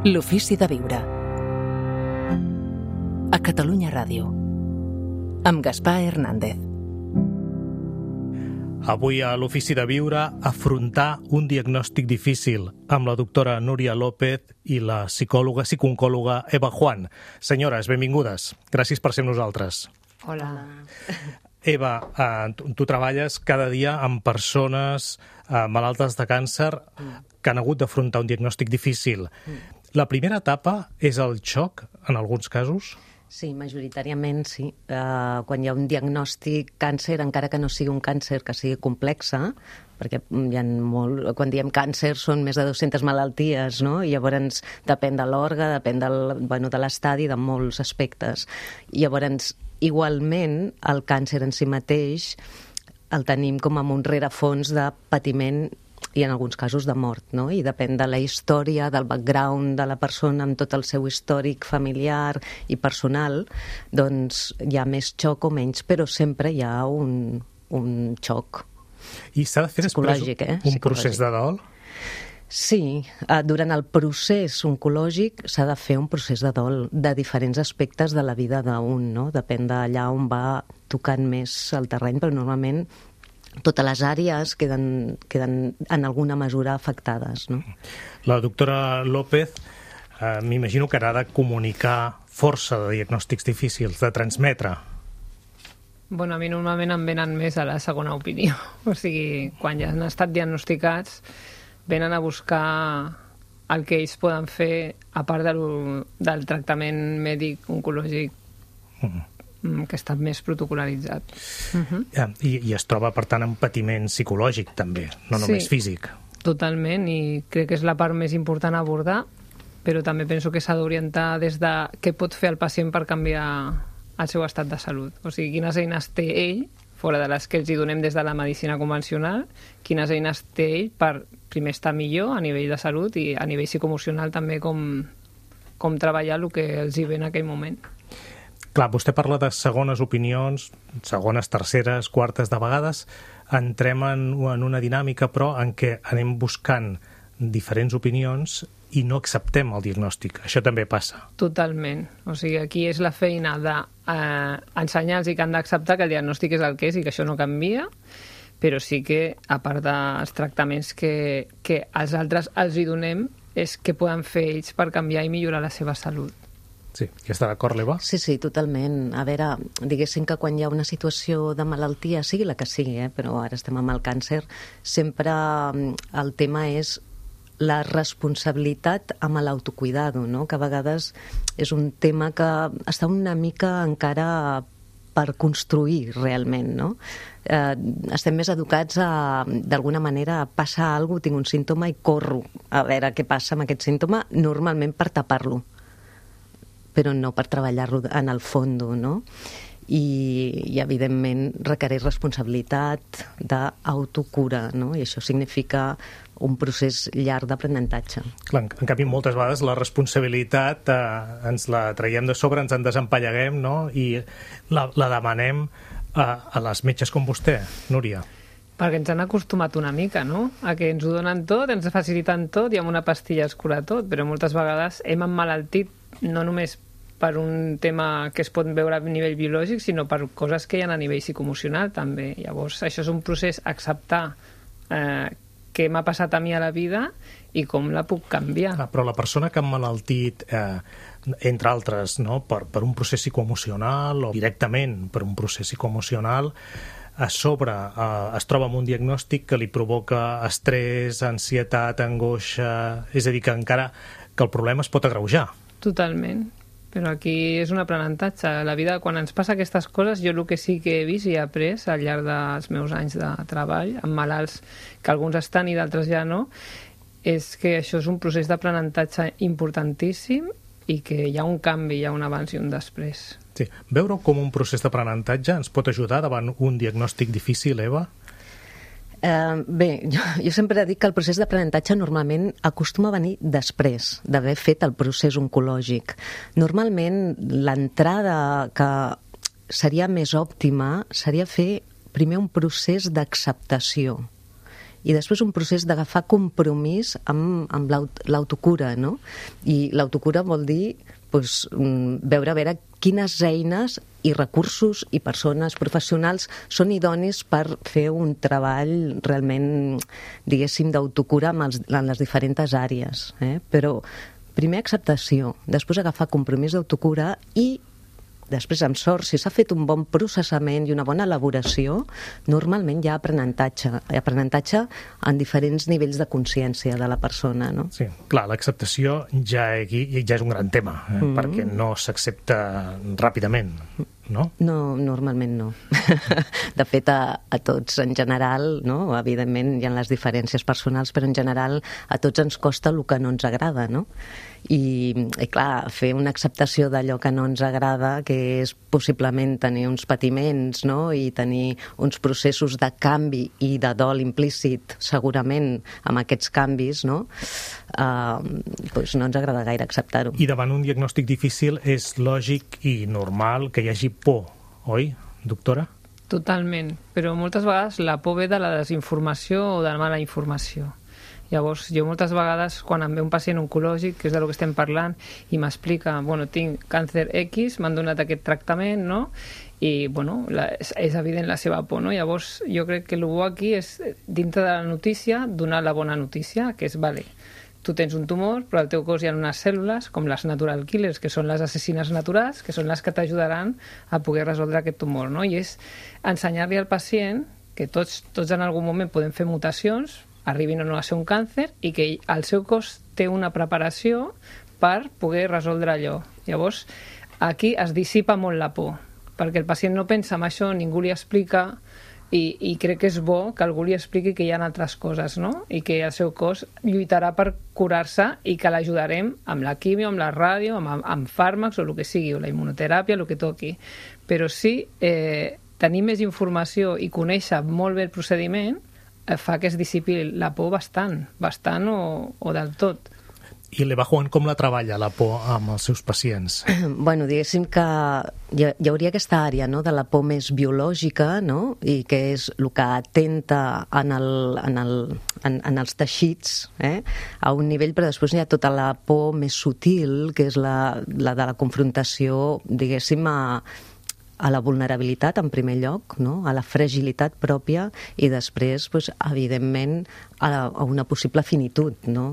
L'ofici de viure. A Catalunya Ràdio. Amb Gaspar Hernández. Avui a l'Ofici de Viure, afrontar un diagnòstic difícil amb la doctora Núria López i la psicòloga Eva Juan. Senyores, benvingudes. Gràcies per ser amb nosaltres. Hola. Eva, tu treballes cada dia amb persones malaltes de càncer que han hagut d'afrontar un diagnòstic difícil. La primera etapa és el xoc, en alguns casos? Sí, majoritàriament sí. Quan hi ha un diagnòstic càncer, encara que no sigui un càncer que sigui complexa, perquè hi ha quan diem càncer són més de 200 malalties, no? I llavors depèn de l'òrgan, depèn de l'estadi, de molts aspectes. I llavors, igualment, el càncer en si mateix el tenim com amb un rerefons de patiment i en alguns casos de mort, no? I depèn de la història, del background de la persona amb tot el seu històric familiar i personal, doncs hi ha més xoc o menys, però sempre hi ha un xoc. I s'ha de fer després un procés de dol? Sí, durant el procés oncològic s'ha de fer un procés de dol de diferents aspectes de la vida d'un, no? Depèn d'allà on va tocant més el terreny, però normalment totes les àrees queden en alguna mesura afectades, no? La doctora López, m'imagino que ha de comunicar força de diagnòstics difícils, de transmetre. Bueno, a mi normalment em venen més a la segona opinió. O sigui, quan ja han estat diagnosticats, venen a buscar el que ells poden fer, a part del tractament mèdic oncològic que està més protocolaritzat. I es troba, per tant, en patiment psicològic, també, no només físic. Totalment, i crec que és la part més important a abordar, però també penso que s'ha d'orientar des de què pot fer el pacient per canviar el seu estat de salut. O sigui, quines eines té ell, fora de les que els hi donem des de la medicina convencional, quines eines té ell per primer estar millor a nivell de salut i a nivell psicoemocional també com treballar el que els hi ve en aquell moment. Clar, vostè parla de segones opinions, segones, terceres, quartes, de vegades entrem en una dinàmica, però en què anem buscant diferents opinions i no acceptem el diagnòstic. Això també passa. Totalment. O sigui, aquí és la feina d'ensenyar-los que han d'acceptar que el diagnòstic és el que és i que això no canvia, però sí que, a part dels tractaments que els altres els hi donem, és què poden fer ells per canviar i millorar la seva salut. Sí, hi està d'acord, l'Eva? Sí, totalment. A veure, diguéssim que quan hi ha una situació de malaltia, sigui la que sigui, però ara estem amb el càncer, sempre el tema és la responsabilitat amb l'autocuidado, no? Que a vegades és un tema que està una mica encara per construir realment, no? Estem més educats d'alguna manera, passa alguna cosa, tinc un símptoma i corro a veure què passa amb aquest símptoma, normalment per tapar-lo, però no per treballar-lo en el fons, no? I evidentment requereix responsabilitat d'autocura, no? I això significa un procés llarg d'aprenentatge. Clar, en canvi, moltes vegades la responsabilitat ens la traiem de sobre, ens en desempalleguem, no? I la demanem a les metges com vostè, Núria. Perquè ens han acostumat una mica, no? A que ens ho donen tot, ens faciliten tot i amb una pastilla es cura tot, però moltes vegades hem emmalaltit no només per un tema que es pot veure a nivell biològic, sinó per coses que hi ha a nivell psicoemocional també. Llavors, això és un procés acceptar què m'ha passat a mi a la vida i com la puc canviar. Però la persona que ha emmalaltit, entre altres, no? per un procés psicoemocional o directament per un procés psicoemocional, a sobre es troba amb un diagnòstic que li provoca estrès, ansietat, angoixa, és a dir, que encara que el problema es pot agreujar. Totalment, però aquí és un aprenentatge. La vida, quan ens passa aquestes coses, jo el que sí que he vist i he après al llarg dels meus anys de treball, amb malalts que alguns estan i d'altres ja no, és que això és un procés d'aprenentatge importantíssim i que hi ha un canvi, hi ha un abans i un després. Sí. Veure-ho com un procés d'aprenentatge ens pot ajudar davant un diagnòstic difícil, Eva? Bé, jo sempre dic que el procés d'aprenentatge normalment acostuma a venir després d'haver fet el procés oncològic. Normalment l'entrada que seria més òptima seria fer primer un procés d'acceptació i després un procés d'agafar compromís amb l'autocura, no? I l'autocura vol dir veure a veure quines eines i recursos i persones professionals són idonis per fer un treball realment, diguéssim, d'autocura en les diferents àrees. Però primer acceptació, després agafar compromís d'autocura i després, amb sort, si s'ha fet un bon processament i una bona elaboració, normalment hi ha aprenentatge en diferents nivells de consciència de la persona, no? Sí, clar, l'acceptació ja és un gran tema, perquè no s'accepta ràpidament, no? No, normalment no. De fet, a tots en general, no? Evidentment hi ha les diferències personals, però en general a tots ens costa el que no ens agrada, no? I clar, fer una acceptació d'allò que no ens agrada, que és possiblement tenir uns patiments, no? I tenir uns processos de canvi i de dol implícit, segurament, amb aquests canvis, no? Doncs no ens agrada gaire acceptar-ho. I davant un diagnòstic difícil és lògic i normal que hi hagi por, oi, doctora? Totalment, però moltes vegades la por ve de la desinformació o de la mala informació. Llavors, jo moltes vegades, quan em ve un pacient oncològic, que és del que estem parlant, i m'explica, bueno, tinc càncer X, m'han donat aquest tractament, no? I, bueno, és evident la seva por, no? Llavors, jo crec que el bo aquí és, dintre de la notícia, donar la bona notícia, que és, vale, tu tens un tumor, però al teu cos hi ha unes cèl·lules, com les natural killers, que són les assassines naturals, que són les que t'ajudaran a poder resoldre aquest tumor, no? I és ensenyar-li al pacient que tots en algun moment podem fer mutacions, arribin o no a ser un càncer, i que el seu cos té una preparació per poder resoldre allò. Llavors, aquí es dissipa molt la por, perquè el pacient no pensa en això, ningú li explica, i crec que és bo que algú li expliqui que hi ha altres coses, no? I que el seu cos lluitarà per curar-se i que l'ajudarem amb la quimio, amb la ràdio, amb fàrmacs o el que sigui, o la immunoteràpia, el que toqui. Però sí, tenir més informació i conèixer molt bé el procediment fa que es dissipi la por bastant o del tot. I l'Eva Juan com la treballa, la por, amb els seus pacients? Bueno, diguéssim que hi hauria aquesta àrea, no?, de la por més biològica, no?, i que és el que atenta en els teixits, a un nivell, però després hi ha tota la por més sutil, que és la de la confrontació, diguéssim, a la vulnerabilitat, en primer lloc, no?, a la fragilitat pròpia, i després, doncs, evidentment, a una possible finitud, no?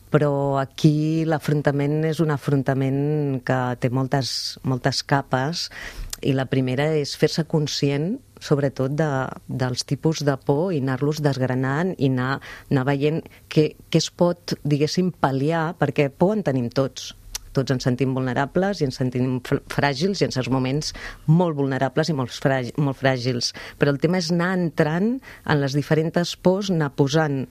Però aquí l'afrontament és un afrontament que té moltes capes, i la primera és fer-se conscient, sobretot, dels tipus de por i anar-los desgranant i anar veient què es pot, diguéssim, pal·liar, perquè por en tenim tots. Tots ens sentim vulnerables i ens sentim fràgils, i en certs moments molt vulnerables i molt fràgils. Però el tema és anar entrant en les diferents pors, anar posant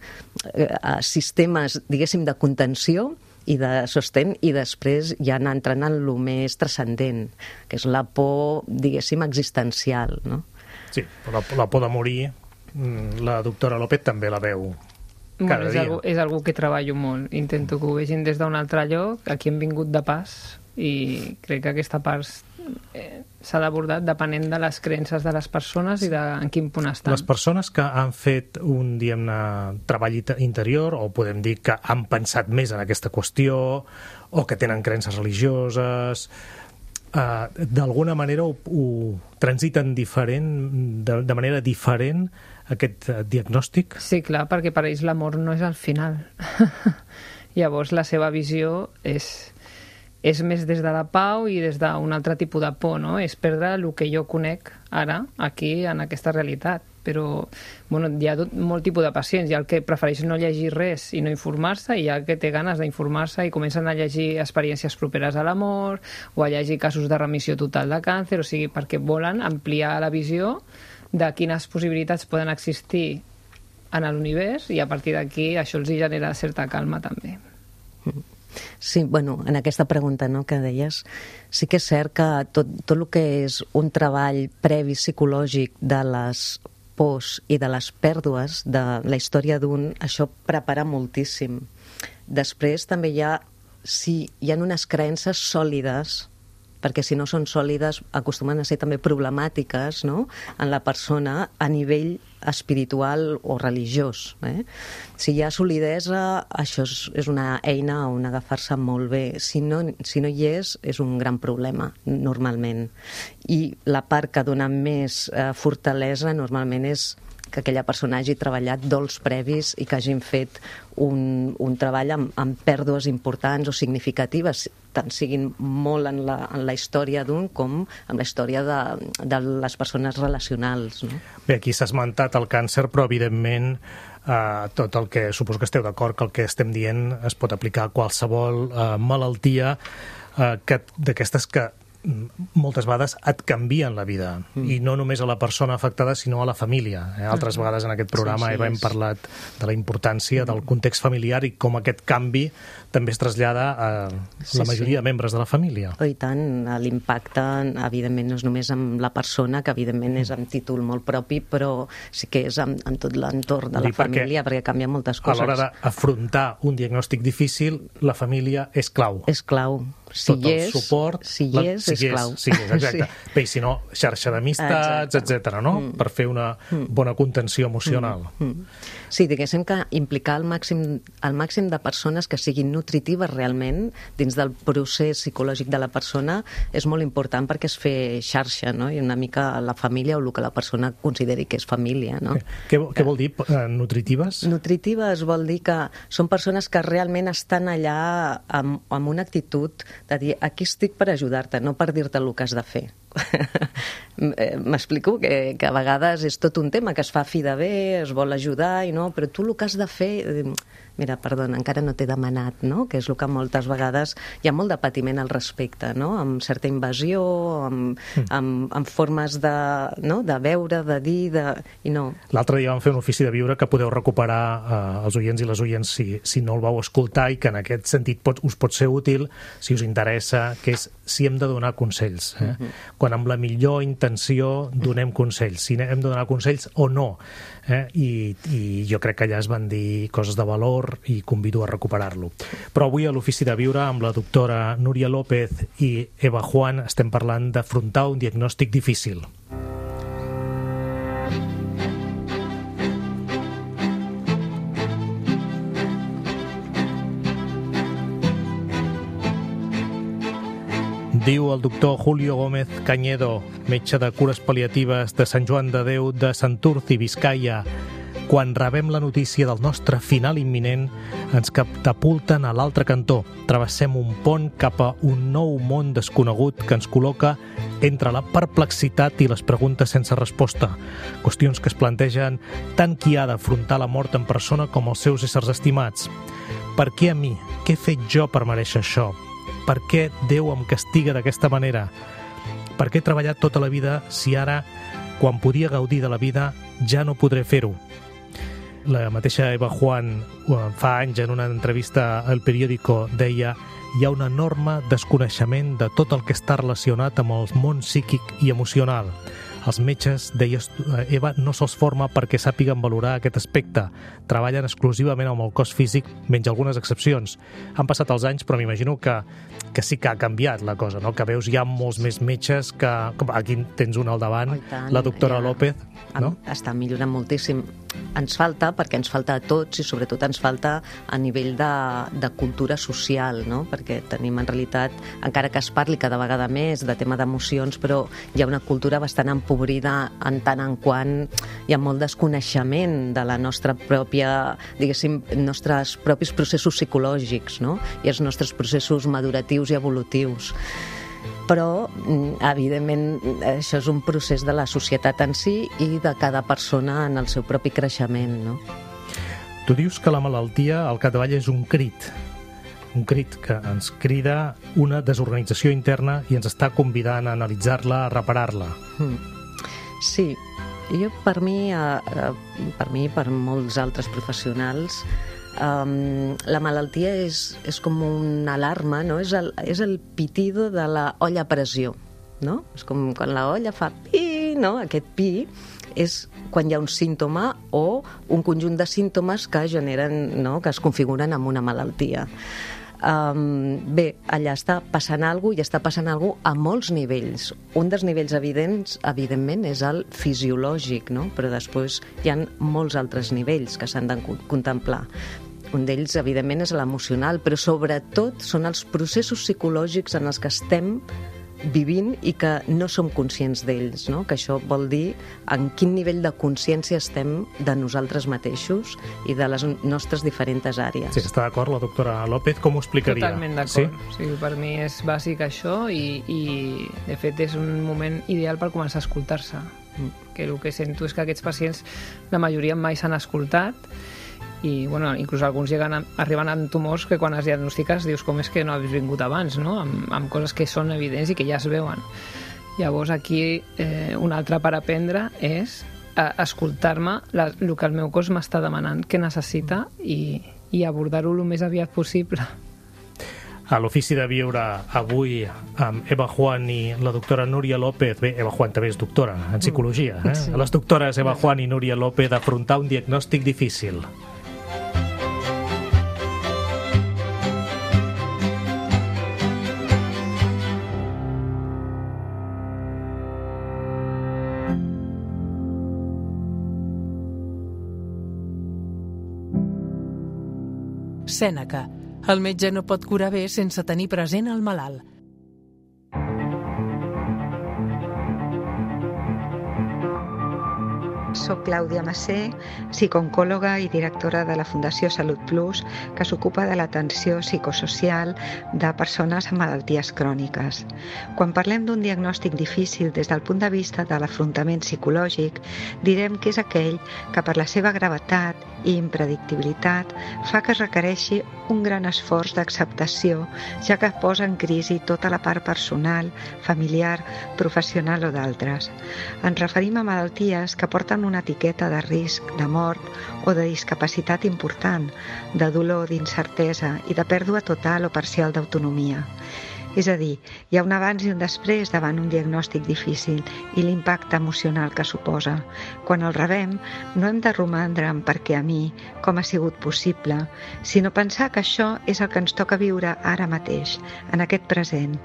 sistemes, diguéssim, de contenció i de sostén, i després ja anar entrant en el més transcendent, que és la por, diguéssim, existencial, no? Sí, la por de morir, la doctora López també la veu cada dia. És algú que treballo molt. Intento que ho vegin des d'un altre lloc. Aquí hem vingut de pas i crec que aquesta part s'ha d'abordar depenent de les creences de les persones i de en quin punt estan. Les persones que han fet un, diguem-ne, treball interior, o podem dir que han pensat més en aquesta qüestió, o que tenen creences religioses, d'alguna manera ho transiten de manera diferent, aquest diagnòstic? Sí, clar, perquè per ells l'amor no és el final. Llavors la seva visió és més des de la pau i des d'un altre tipus de por, no? És perdre el que jo conec ara, aquí, en aquesta realitat. Però bueno, hi ha molt tipus de pacients. Hi ha el que prefereix no llegir res i no informar-se, i hi ha el que té ganes d'informar-se i comencen a llegir experiències properes a l'amor o a llegir casos de remissió total de càncer, o sigui, perquè volen ampliar la visió de quines possibilitats poden existir en l'univers, i a partir d'aquí això els genera certa calma també. Sí, bueno, en aquesta pregunta, no, que deies, sí que és cert que tot el que és un treball previ psicològic de les pors i de les pèrdues de la història d'un, això prepara moltíssim. Després també si hi ha unes creences sòlides perquè si no són sòlides acostumen a ser també problemàtiques, no?, en la persona a nivell espiritual o religiós. Si hi ha solidesa, això és una eina on agafar-se molt bé. Si no hi és un gran problema, normalment. I la part que dona més fortalesa normalment és que aquella persona hagi treballat dols previs i que hagin fet un treball amb pèrdues importants o significatives, tant siguin molt en la història d'un com en la història de les persones relacionals. No? Bé, aquí s'ha esmentat el càncer, però evidentment tot el que, suposo que esteu d'acord que el que estem dient es pot aplicar a qualsevol malaltia d'aquestes que moltes vegades et canvien la vida, i no només a la persona afectada sinó a la família. Altres vegades en aquest programa Eva hem parlat de la importància del context familiar i com aquest canvi també es trasllada a la majoria de membres de la família. I tant, l'impacte evidentment no és només amb la persona, que evidentment és amb títol molt propi, però sí que és en tot l'entorn de la família, perquè canvien moltes coses. A l'hora d'afrontar un diagnòstic difícil, la família és clau. És clau. Tot el suport, si hi és clau. Sí, exacte. Bé, i si no, xarxa d'amistats, etc., no? Per fer una bona contenció emocional. Sí, diguéssim que implicar el màxim de persones que siguin nutritives realment dins del procés psicològic de la persona és molt important, perquè és fer xarxa, no? I una mica la família o el que la persona consideri que és família, no? Què vol dir nutritives? Nutritives vol dir que són persones que realment estan allà amb una actitud de dir, aquí estic per ajudar-te, no per dir-te el que has de fer. M'explico? Que a vegades és tot un tema que es fa fi de bé, es vol ajudar, però tu el que has de fer... Mira, perdona, encara no t'he demanat, no? Que és el que moltes vegades hi ha molt de patiment al respecte, no? Amb certa invasió, amb formes de veure, de dir, i no. L'altre dia vam fer un ofici de viure que podeu recuperar els oients i les oients si no el vau escoltar, i que en aquest sentit us pot ser útil si us interessa, que és si hem de donar consells. Quan amb la millor intenció donem consells, si hem de donar consells o no. I jo crec que allà es van dir coses de valor i convido a recuperar-lo. Però avui a l'Ofici de Viure amb la doctora Núria López i Eva Juan estem parlant d'afrontar un diagnòstic difícil. Diu el doctor Julio Gómez Cañedo, metge de cures pal·liatives de Sant Joan de Déu de Santurci, Biscaia: quan rebem la notícia del nostre final imminent, ens catapulten a l'altre cantó. Travessem un pont cap a un nou món desconegut que ens col·loca entre la perplexitat i les preguntes sense resposta. Qüestions que es plantegen tant qui ha d'afrontar la mort en persona com els seus éssers estimats. Per què a mi? Què he fet jo per mereixer això? Per què Déu em castiga d'aquesta manera? Per què he treballat tota la vida si ara, quan podia gaudir de la vida, ja no podré fer-ho? La mateixa Eva Juan fa anys en una entrevista al periòdico deia: hi ha un enorme desconeixement de tot el que està relacionat amb el món psíquic i emocional. Els metges, deies Eva, no se'ls forma perquè sàpiguen valorar aquest aspecte. Treballen exclusivament amb el cos físic, menys algunes excepcions. Han passat els anys, però m'imagino que sí que ha canviat la cosa, no? Que veus hi ha molts més metges que... Aquí tens un al davant, la doctora López, no? Està millorant moltíssim. Ens falta, perquè ens falta a tots, i sobretot ens falta a nivell de cultura social, no? Perquè tenim en realitat, encara que es parli cada vegada més de tema d'emocions, però hi ha una cultura bastant empobrida en tant en quant hi ha molt desconeixement de la nostra pròpia, diguéssim, nostres propis processos psicològics, no? I els nostres processos maduratius i evolutius. Però, evidentment, això és un procés de la societat en si i de cada persona en el seu propi creixement, no? Tu dius que la malaltia, al capdavall, és un crit que ens crida una desorganització interna i ens està convidant a analitzar-la, a reparar-la. Sí, jo per mi i per molts altres professionals, la malaltia és com una alarma, no? És el pitido de la olla a pressió, no? És com quan la olla fa pi, no? Aquest pi és quan hi ha un símptoma o un conjunt de símptomes que generen, no? Que es configuren amb una malaltia. Bé, allà està passant alguna cosa i està passant alguna cosa a molts nivells. Un dels nivells evidents, evidentment, és el fisiològic, no? Però després hi ha molts altres nivells que s'han de contemplar. Un d'ells, evidentment, és l'emocional, però sobretot són els processos psicològics en els que estem vivint i que no som conscients d'ells, no? Que això vol dir en quin nivell de consciència estem de nosaltres mateixos i de les nostres diferents àrees. Sí, està d'acord la doctora López, com ho explicaria? Totalment d'acord. Sí? Per mi és bàsic això i de fet és un moment ideal per començar a escoltar-se. Que el que sento és que aquests pacients, la majoria mai s'han escoltat i bueno, inclús alguns arriben amb tumors que quan es diagnostiques dius com és que no has vingut abans, no? Amb coses que són evidents i que ja es veuen. Llavors aquí un altre per aprendre és escoltar-me el que el meu cos m'està demanant, què necessita i abordar-ho el més aviat possible. A l'Ofici de Viure avui amb Eva Juan i la doctora Núria López. Bé, Eva Juan també és doctora en psicologia. Sí. Les doctores Eva Juan i Núria López d'afrontar un diagnòstic difícil. Sèneca. El metge no pot curar bé sense tenir present el malalt. Soc Clàudia Massé, psicooncòloga i directora de la Fundació Salut Plus, que s'ocupa de l'atenció psicosocial de persones amb malalties cròniques. Quan parlem d'un diagnòstic difícil des del punt de vista de l'afrontament psicològic, direm que és aquell que per la seva gravetat i impredictibilitat fa que es requereixi un gran esforç d'acceptació, ja que posa en crisi tota la part personal, familiar, professional o d'altres. Ens referim a malalties que porten una etiqueta de risc, de mort o de discapacitat important, de dolor, d'incertesa i de pèrdua total o parcial d'autonomia. És a dir, hi ha un abans i un després davant un diagnòstic difícil i l'impacte emocional que suposa. Quan el rebem, no hem de romandre en per què a mi, com ha sigut possible, sinó pensar que això és el que ens toca viure ara mateix, en aquest present.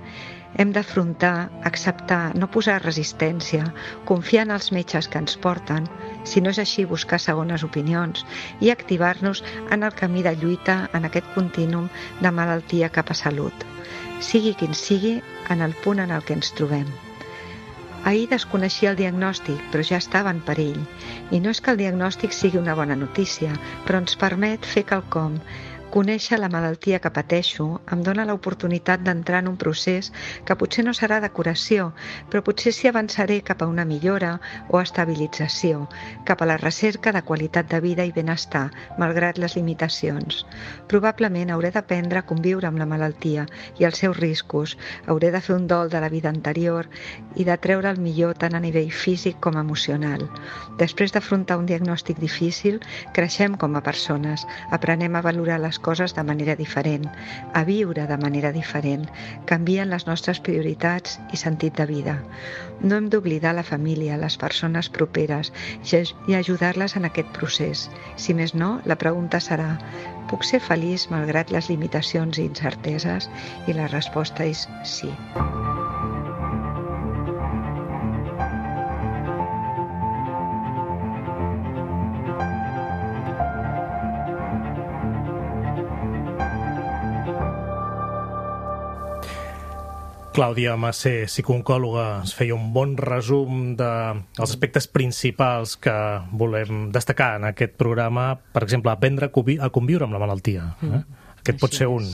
Hem d'afrontar, acceptar, no posar resistència, confiar en els metges que ens porten, si no és així buscar segones opinions i activar-nos en el camí de lluita en aquest contínuum de malaltia cap a salut. Sigui quin sigui, en el punt en el que ens trobem. Ahir desconeixia el diagnòstic, però ja estava en perill. I no és que el diagnòstic sigui una bona notícia, però ens permet fer quelcom. Conèixer la malaltia que pateixo em dona l'oportunitat d'entrar en un procés que potser no serà de curació, però potser s'hi avançaré cap a una millora o estabilització, cap a la recerca de qualitat de vida i benestar, malgrat les limitacions. Probablement hauré d'aprendre a conviure amb la malaltia i els seus riscos, hauré de fer un dol de la vida anterior i de treure el millor tant a nivell físic com emocional. Després d'afrontar un diagnòstic difícil, creixem com a persones, aprenem a valorar les coses de manera diferent, a viure de manera diferent, canvien les nostres prioritats i sentit de vida. No hem d'oblidar la família, les persones properes i ajudar-les en aquest procés. Si més no, la pregunta serà: puc ser feliç malgrat les limitacions i incerteses? I la resposta és sí. Clàudia Massé, psicooncòloga, ens feia un bon resum dels aspectes principals que volem destacar en aquest programa. Per exemple, aprendre a conviure amb la malaltia. Aquest pot ser un.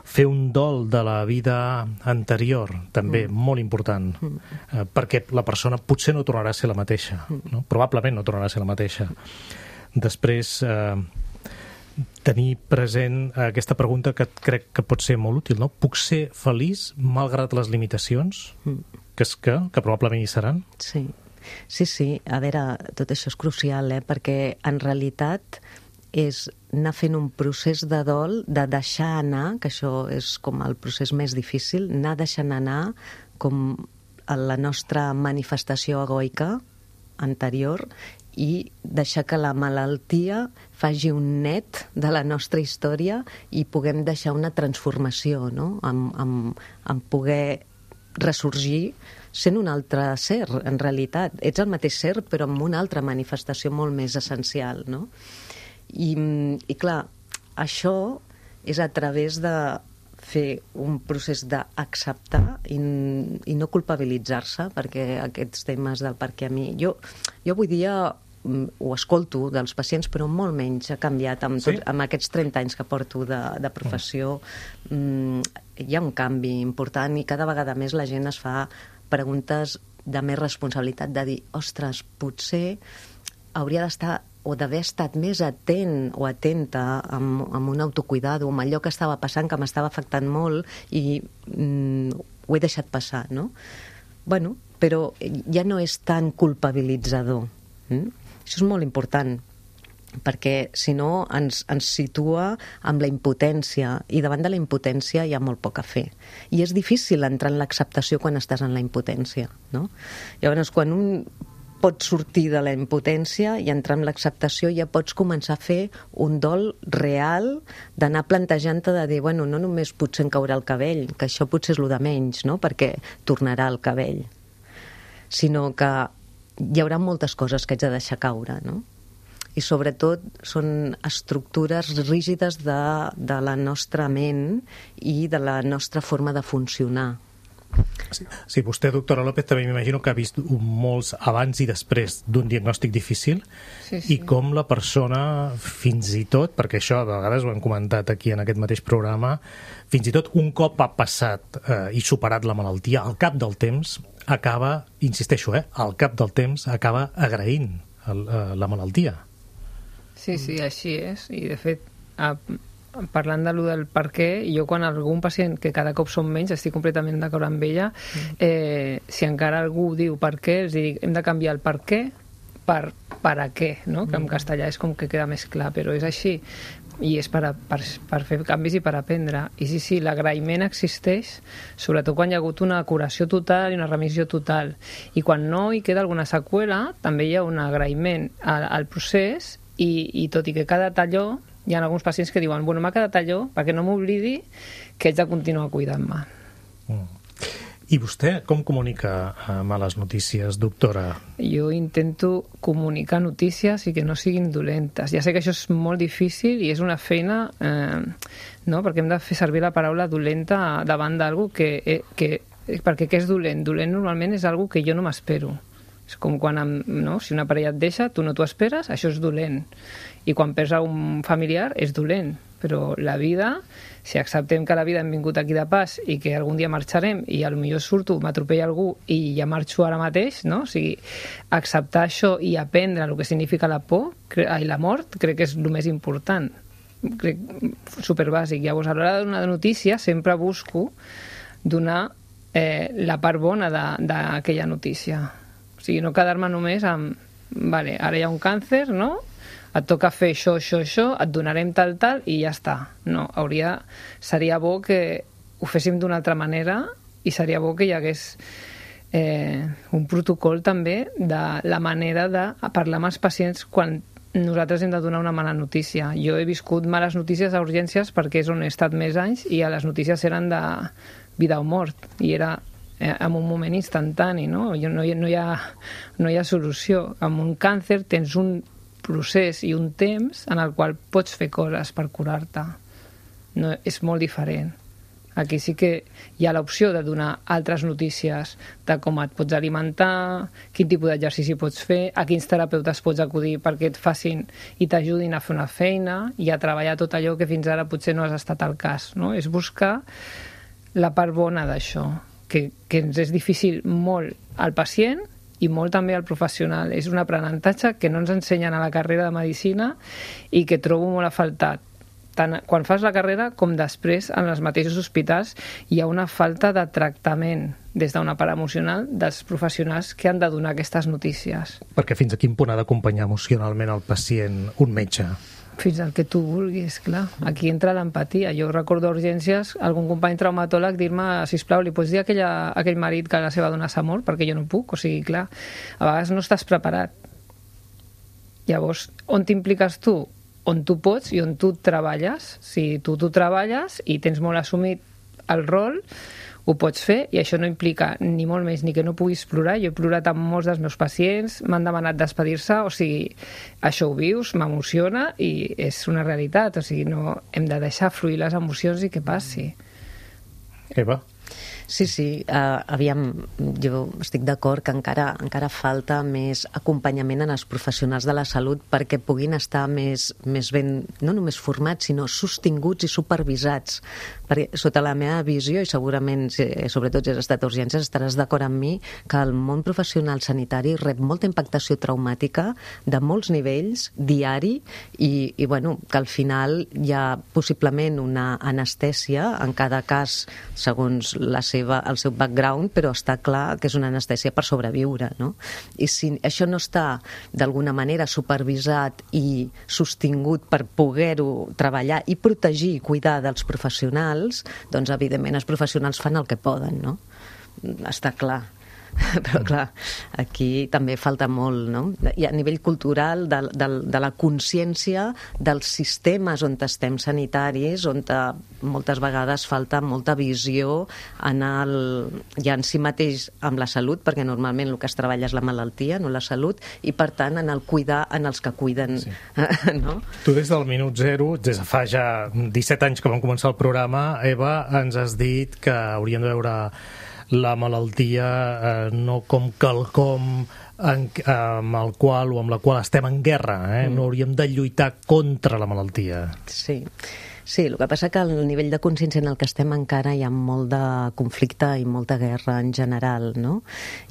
Fer un dol de la vida anterior, també molt important, perquè la persona potser no tornarà a ser la mateixa, no? Probablement no tornarà a ser la mateixa. Després, tenir present aquesta pregunta que crec que pot ser molt útil, no? Puc ser feliç malgrat les limitacions? Que probablement hi seran? Sí. A veure, tot això és crucial, perquè en realitat és anar fent un procés de dol, de deixar anar, que això és com el procés més difícil, anar deixant anar com la nostra manifestació egoica anterior i deixar que la malaltia faci un net de la nostra història i puguem deixar una transformació, no? En poder ressorgir sent un altre ser, en realitat. Ets el mateix ser, però amb una altra manifestació molt més essencial, no? I clar, això és a través de fer un procés d'acceptar i no culpabilitzar-se, perquè aquests temes del per què a mi... Jo avui dia ho escolto dels pacients, però molt menys ha canviat amb aquests 30 anys que porto de professió. Hi ha un canvi important i cada vegada més la gent es fa preguntes de més responsabilitat, de dir, ostres, potser hauria d'estar o d'haver estat més atent o atenta amb un autocuidado, amb allò que estava passant, que m'estava afectant molt i ho he deixat passar, no? Bueno, però ja no és tan culpabilitzador. Això és molt important, perquè si no ens situa amb la impotència, i davant de la impotència hi ha molt poc a fer. I és difícil entrar en l'acceptació quan estàs en la impotència, no? Llavors, quan un pot sortir de la impotència i entrar en l'acceptació, ja pots començar a fer un dol real d'anar plantejant-te de dir, bueno, no només potser em caurà el cabell, que això potser és el de menys, no?, perquè tornarà el cabell, sinó que hi haurà moltes coses que haig de deixar caure, no? I sobretot són estructures rígides de la nostra ment i de la nostra forma de funcionar. Sí, vostè, doctora López, també m'imagino que ha vist molts abans i després d'un diagnòstic difícil i com la persona, fins i tot, perquè això a vegades ho hem comentat aquí en aquest mateix programa, fins i tot un cop ha passat i superat la malaltia, al cap del temps acaba, insisteixo, al cap del temps acaba agraint la malaltia. Sí, així és. I de fet, parlant de lo del per què, jo quan algun pacient, que cada cop són menys, estic completament d'acord amb ella, si encara algú diu per què, els dic, hem de canviar el per què per a què, no? Que en castellà és com que queda més clar, però és així. I és per fer canvis i per aprendre. I sí, l'agraïment existeix, sobretot quan hi ha hagut una curació total i una remissió total. I quan no hi queda alguna seqüela, també hi ha un agraïment al procés i tot i que cada talló, hi ha alguns pacients que diuen, bueno, m'ha quedat allò perquè no m'oblidi que haig de continuar cuidant-me. I vostè com comunica males notícies, doctora? Jo intento comunicar notícies i que no siguin dolentes. Ja sé que això és molt difícil i és una feina, no? Perquè hem de fer servir la paraula dolenta davant d'algú perquè què és dolent? Dolent normalment és algú que jo no m'espero. És com quan, no? Si una parella et deixa, tu no t'ho esperes, això és dolent. I quan perds un familiar és dolent. Però la vida, si acceptem que la vida hem vingut aquí de pas i que algun dia marxarem i potser surto, m'atropella algú i ja marxo ara mateix, no? O sigui, acceptar això i aprendre el que significa la por i la mort crec que és el més important. Crec superbàsic. Llavors, a l'hora de donar notícia sempre busco donar la part bona d'aquella notícia. O sigui, no quedar-me només amb vale, ara hi ha un càncer, no? Et toca fer això, et donarem tal, i ja està. No, seria bo que ho féssim d'una altra manera i seria bo que hi hagués un protocol també de la manera de parlar amb els pacients quan nosaltres hem de donar una mala notícia. Jo he viscut males notícies a urgències perquè és on he estat més anys i les notícies eren de vida o mort i era en un moment instantani, no? No hi ha solució. Amb un càncer tens un procés i un temps en el qual pots fer coses per curar-te. No, és molt diferent. Aquí sí que hi ha l'opció de donar altres notícies de com et pots alimentar, quin tipus d'exercici pots fer, a quins terapeutes pots acudir perquè et facin i t'ajudin a fer una feina i a treballar tot allò que fins ara potser no has estat al cas, no? És buscar la part bona d'això, que ens és difícil molt al pacient i molt també al professional. És un aprenentatge que no ens ensenyen a la carrera de Medicina i que trobo molt a faltar. Tant quan fas la carrera com després en els mateixos hospitals hi ha una falta de tractament des d'una part emocional dels professionals que han de donar aquestes notícies. Perquè fins a quin punt ha d'acompanyar emocionalment el pacient un metge? Fins al que tu vulguis, clar. Aquí entra l'empatia. Jo recordo a urgències algun company traumatòleg dir-me, sisplau, li pots dir a aquell marit que la seva dona s'ha mort perquè jo no puc? O sigui, clar, a vegades no estàs preparat. Llavors, on t'impliques tu? On tu pots i on tu treballes. Si tu treballes i tens molt assumit el rol, ho pots fer, i això no implica ni molt més ni que no puguis plorar. Jo he plorat amb molts dels meus pacients, m'han demanat despedir-se, o sigui, això ho vius, m'emociona i és una realitat, o sigui, no hem de deixar fluir les emocions i que passi. Eva? Sí, aviam, jo estic d'acord que encara falta més acompanyament en els professionals de la salut perquè puguin estar més ben, no només formats, sinó sostinguts i supervisats. Perquè sota la meva visió, i segurament, sobretot si has estat a urgències, estaràs d'acord amb mi, que el món professional sanitari rep molta impactació traumàtica de molts nivells, diari, i bueno, que al final hi ha possiblement una anestèsia, en cada cas, segons el seu background, però està clar que és una anestèsia per sobreviure, no? I si això no està d'alguna manera supervisat i sostingut per poder-ho treballar i protegir i cuidar dels professionals, doncs evidentment els professionals fan el que poden, no? Està clar. Però clar, aquí també falta molt, no? I a nivell cultural, de la consciència dels sistemes on estem sanitaris, on moltes vegades falta molta visió ja en si mateix amb la salut, perquè normalment el que es treballa és la malaltia, no la salut, i per tant en el cuidar en els que cuiden. Sí. No? Tu des del minut zero, des de fa ja 17 anys que vam començar el programa, Eva, ens has dit que hauríem de veure la malaltia no com quelcom amb el qual o amb la qual estem en guerra, no hauríem de lluitar contra la malaltia. Sí, el que passa que al nivell de consciència en el que estem encara hi ha molt de conflicte i molta guerra en general, no?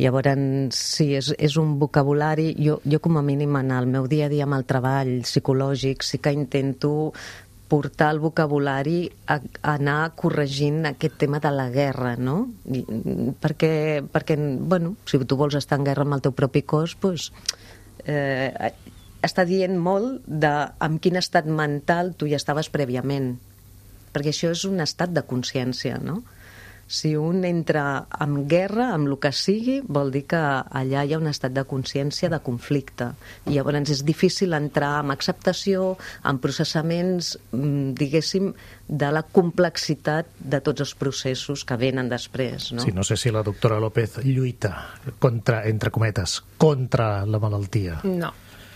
Llavors, sí, és un vocabulari. Jo com a mínim en el meu dia a dia amb el treball psicològic sí que intento portar el vocabulari a anar corregint aquest tema de la guerra, no? Perquè bueno, si tu vols estar en guerra amb el teu propi cos, doncs està dient molt amb quin estat mental tu hi estaves prèviament. Perquè això és un estat de consciència, no? Si un entra en guerra, amb el que sigui, vol dir que allà hi ha un estat de consciència de conflicte. I llavors és difícil entrar en acceptació, en processaments, diguéssim, de la complexitat de tots els processos que venen després. No? Sí, no sé si la doctora López lluita contra, entre cometes, contra la malaltia. No.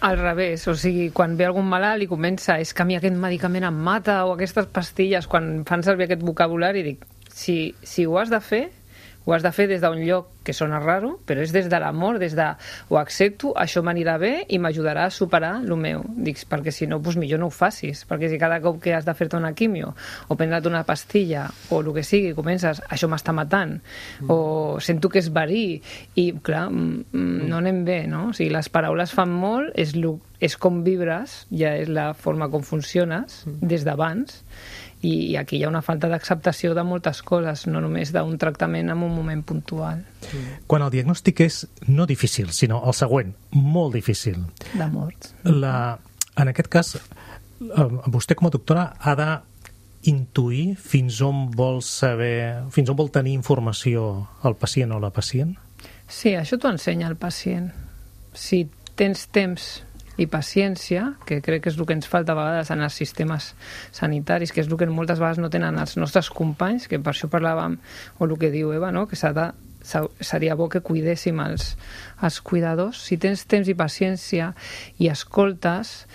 Al revés, o sigui, quan ve algun malalt i comença, és que a mi aquest medicament em mata, o aquestes pastilles, quan fan servir aquest vocabulari, dic, si ho has de fer des d'un lloc que sona raro, però és des de l'amor, des de ho accepto, això m'anirà bé i m'ajudarà a superar el meu. Dic, perquè si no, doncs millor no ho facis, perquè si cada cop que has de fer-te una quimio o prendre't una pastilla o el que sigui, comences, això m'està matant, o sento que és verí, i clar, no anem bé, no? O sigui, les paraules fan molt, és com vibres, ja és la forma com funciones des d'abans, i aquí hi ha una falta d'acceptació de moltes coses, no només d'un tractament en un moment puntual. Quan el diagnòstic és no difícil, sinó el següent, molt difícil. De morts. En aquest cas, vostè com a doctora ha d'intuir fins on vol saber, fins on vol tenir informació el pacient o la pacient? Sí, això t'ho ensenya el pacient. Si tens temps i paciència, que crec que és el que ens falta a vegades en els sistemes sanitaris, que és el que moltes vegades no tenen els nostres companys, que per això parlàvem, o el que diu Eva, no? Que seria bo que cuidéssim els cuidadors. Si tens temps i paciència i escoltes,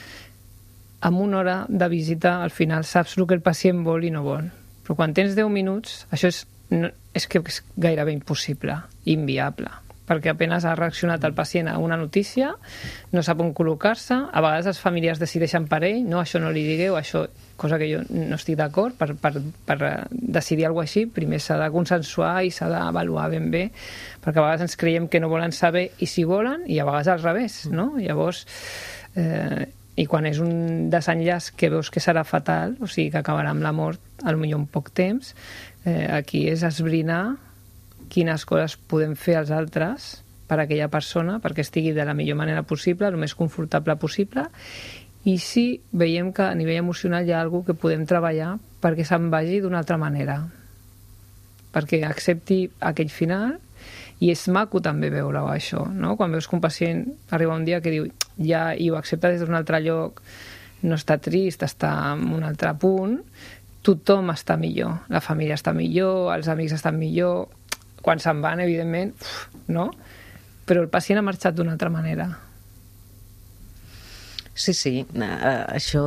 amb una hora de visita al final saps el que el pacient vol i no vol. Però quan tens 10 minuts, això és que és gairebé impossible, inviable, perquè apenas ha reaccionat el pacient a una notícia, no sap on col·locar-se, a vegades els familiars decideixen per ell, no, això no li digueu, això, cosa que jo no estic d'acord, per decidir alguna cosa així, primer s'ha de consensuar i s'ha d'avaluar ben bé, perquè a vegades ens creiem que no volen saber i si volen, i a vegades al revés, no? Llavors, i quan és un desenllaç que veus que serà fatal, o sigui que acabarà amb la mort, potser en poc temps, aquí és esbrinar quines coses podem fer als altres per a aquella persona perquè estigui de la millor manera possible, el més confortable possible, i si veiem que a nivell emocional hi ha alguna que podem treballar perquè se'n vagi d'una altra manera, perquè accepti aquell final I és maco també veure això, no? Quan veus que un pacient arriba un dia que diu ja, i ho accepta des d'un altre lloc, no està trist, està en un altre punt, tothom està millor, la família està millor, els amics estan millor, quan se'n van, evidentment, no? Però el pacient ha marxat d'una altra manera. Sí, això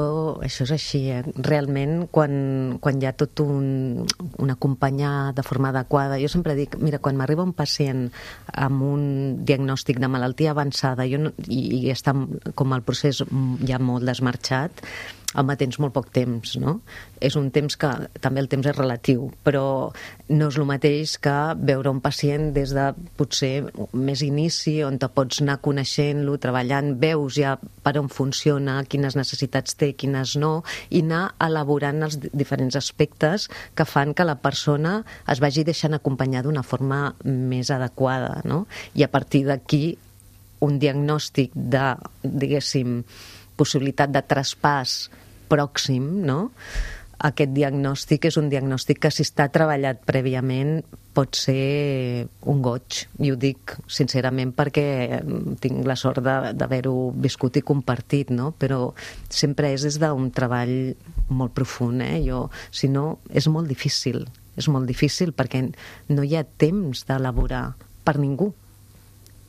és així. Realment, quan hi ha tot un acompanyar de forma adequada, jo sempre dic, mira, quan m'arriba un pacient amb un diagnòstic de malaltia avançada i està com el procés ja molt desmarxat, home, tens molt poc temps, no? És un temps que, també el temps és relatiu, però no és el mateix que veure un pacient des de, potser, més inici, on te pots anar coneixent-lo, treballant, veus ja per on funciona, quines necessitats té, quines no, i anar elaborant els diferents aspectes que fan que la persona es vagi deixant acompanyar d'una forma més adequada, no? I a partir d'aquí, un diagnòstic de, diguéssim, possibilitat de traspàs pròxim, no? Aquest diagnòstic és un diagnòstic que, si està treballat prèviament, pot ser un goig. I ho dic sincerament perquè tinc la sort d'haver-ho viscut i compartit, no? Però sempre és des d'un treball molt profund, si no, és molt difícil perquè no hi ha temps d'elaborar per ningú.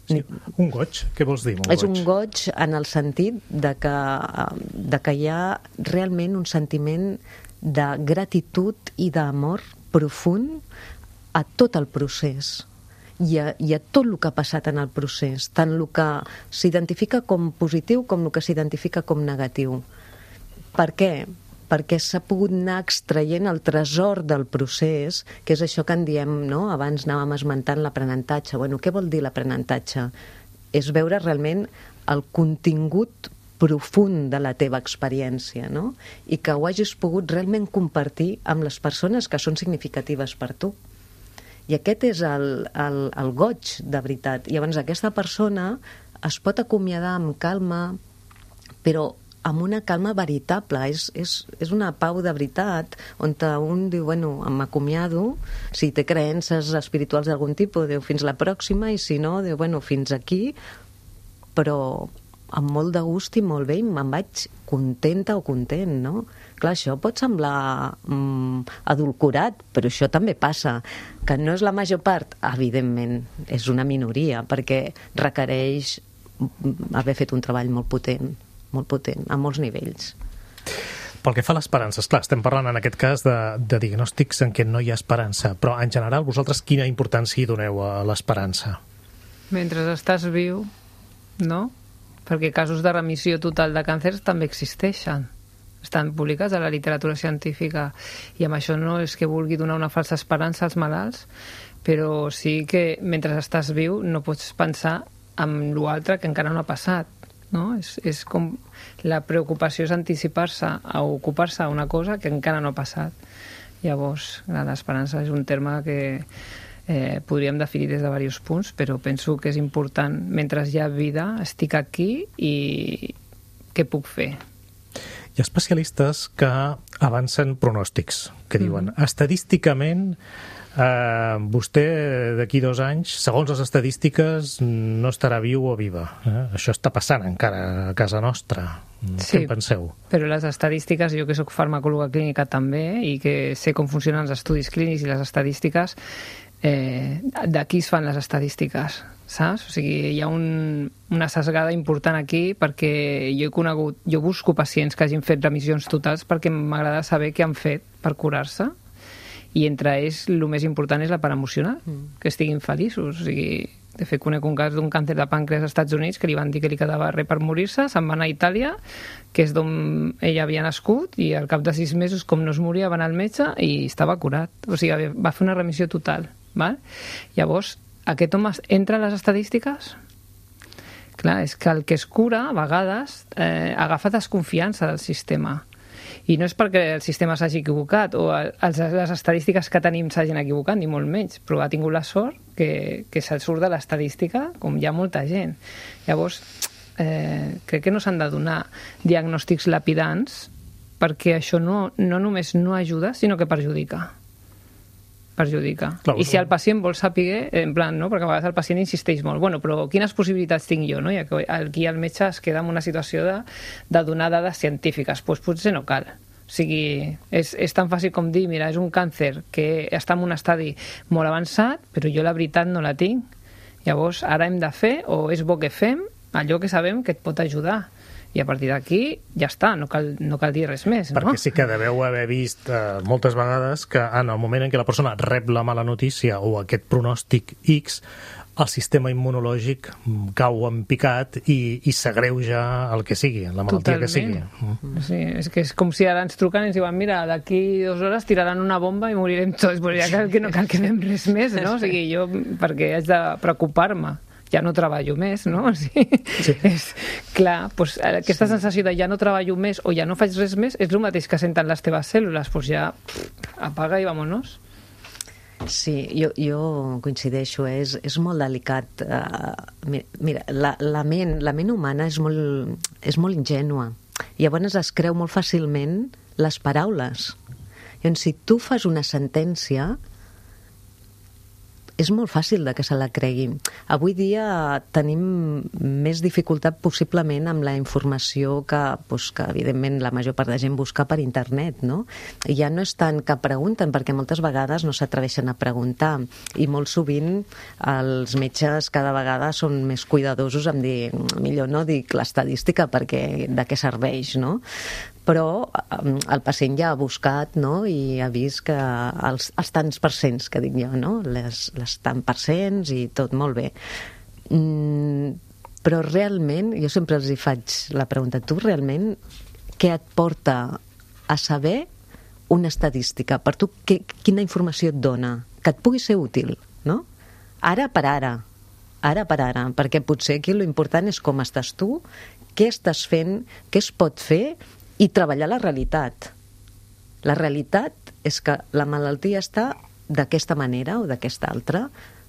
Sí, un goig? Què vols dir? És un goig en el sentit de que hi ha realment un sentiment de gratitud i d'amor profund a tot el procés i a tot el que ha passat en el procés, tant el que s'identifica com positiu com el que s'identifica com negatiu. Per què? Perquè s'ha pogut anar extraient el tresor del procés, que és això que en diem, no? Abans anàvem esmentant l'aprenentatge. Bueno, què vol dir l'aprenentatge? És veure realment el contingut profund de la teva experiència, no? I que ho hagis pogut realment compartir amb les persones que són significatives per tu. I aquest és el goig, de veritat. I llavors aquesta persona es pot acomiadar amb calma, però amb una calma veritable, és una pau de veritat, on un diu, bueno, m'acomiado, si té creences espirituals d'algun tipus, diu, fins la pròxima, i si no, diu, bueno, fins aquí, però amb molt de gust i molt bé, i me'n vaig contenta o content, no? Clar, això pot semblar adulcorat, però això també passa. Que no és la major part, evidentment, és una minoria, perquè requereix haver fet un treball molt potent, a molts nivells. Pel que fa a l'esperança, esclar, estem parlant en aquest cas de diagnòstics en què no hi ha esperança, però en general vosaltres quina importància hi doneu a l'esperança? Mentre estàs viu, no? Perquè casos de remissió total de càncers també existeixen. Estan publicats a la literatura científica, i amb això no és que vulgui donar una falsa esperança als malalts, però sí que mentre estàs viu no pots pensar en l'altre que encara no ha passat. No? És com la preocupació és anticipar-se a ocupar-se d'una cosa que encara no ha passat. Llavors, l'esperança és un terme que podríem definir des de diversos punts, però penso que és important. Mentre hi ha vida, estic aquí i què puc fer? Hi ha especialistes que avancen pronòstics, que diuen, estadísticament, vostè d'aquí 2 anys, segons les estadístiques, no estarà viu o viva. Això està passant encara a casa nostra. Sí, què en penseu? Però les estadístiques, jo que soc farmacòloga clínica també, i que sé com funcionen els estudis clínics i les estadístiques, d'aquí es fan les estadístiques, saps? O sigui, hi ha una sesgada important aquí, perquè jo busco pacients que hagin fet remissions totals perquè m'agrada saber què han fet per curar-se, i entre ells el més important és la part emocional, que estiguin feliços. O sigui, de fet, conec un cas d'un càncer de pàncreas als Estats Units que li van dir que li quedava res per morir-se, se'n va anar a Itàlia, que és d'on ella havia nascut, i al cap de 6 mesos, com no es moria, va anar al metge i estava curat. O sigui, va fer una remissió total. Val? Llavors, aquest home entra a les estadístiques? Clar, és que el que es cura, a vegades, agafa desconfiança del sistema. I no és perquè el sistema s'hagi equivocat o les estadístiques que tenim s'hagin equivocat, ni molt menys, però ha tingut la sort que se'l surt de l'estadística, com hi ha molta gent. Llavors, crec que no s'han de donar diagnòstics lapidants, perquè això no només no ajuda, sinó que perjudica. perjudica. Clar, I si el pacient vol saber, en plan, no? Perquè a vegades el pacient insisteix molt, bueno, però quines possibilitats tinc jo, no? I aquí el metge es queda en una situació de donar dades científiques, doncs potser no cal. O sigui, és tan fàcil com dir, mira, és un càncer que està en un estadi molt avançat, però jo la veritat no la tinc. Llavors, ara hem de fer, o és bo que fem, allò que sabem que et pot ajudar. I a partir d'aquí ja està, no cal dir res més, no? Perquè sí que deveu haver vist moltes vegades que en el moment en què la persona rep la mala notícia o aquest pronòstic X, el sistema immunològic cau en picat i s'agreuja el que sigui, la malaltia que sigui. Sí, és que és com si ara ens truquen i ens diuen, mira, d'aquí 2 hores tiraran una bomba i morirem tots, però ja no cal que fem res més, no? O sigui, jo, perquè haig de preocupar-me, ja no treballo més, no? O sigui, sí. Clar, doncs aquesta sensació de ja no treballo més o ja no faig res més és el mateix que senten les teves cèl·lules, doncs ja apaga i vámonos. Sí, jo coincideixo, és molt delicat. Mira, la ment humana és molt ingènua. Llavors es creu molt fàcilment les paraules. Llavors, si tu fas una sentència, és molt fàcil que se la cregui. Avui dia tenim més dificultat possiblement amb la informació que evidentment la major part de gent busca per internet, no? Ja no és tant que pregunten, perquè moltes vegades no s'atreveixen a preguntar, i molt sovint els metges cada vegada són més cuidadosos en dir, millor no dic l'estadística perquè de què serveix, no? Però el pacient ja ha buscat, no? I ha vist que els tants percents que dic jo, no? Les tant percents i tot molt bé. Però realment, jo sempre els hi faig la pregunta, tu realment què et porta a saber una estadística? Per tu, quina informació et dona? Que et pugui ser útil, no? Ara per ara, perquè potser aquí l'important és com estàs tu, què estàs fent, què es pot fer, i treballar la realitat. La realitat és que la malaltia està d'aquesta manera o d'aquesta altra,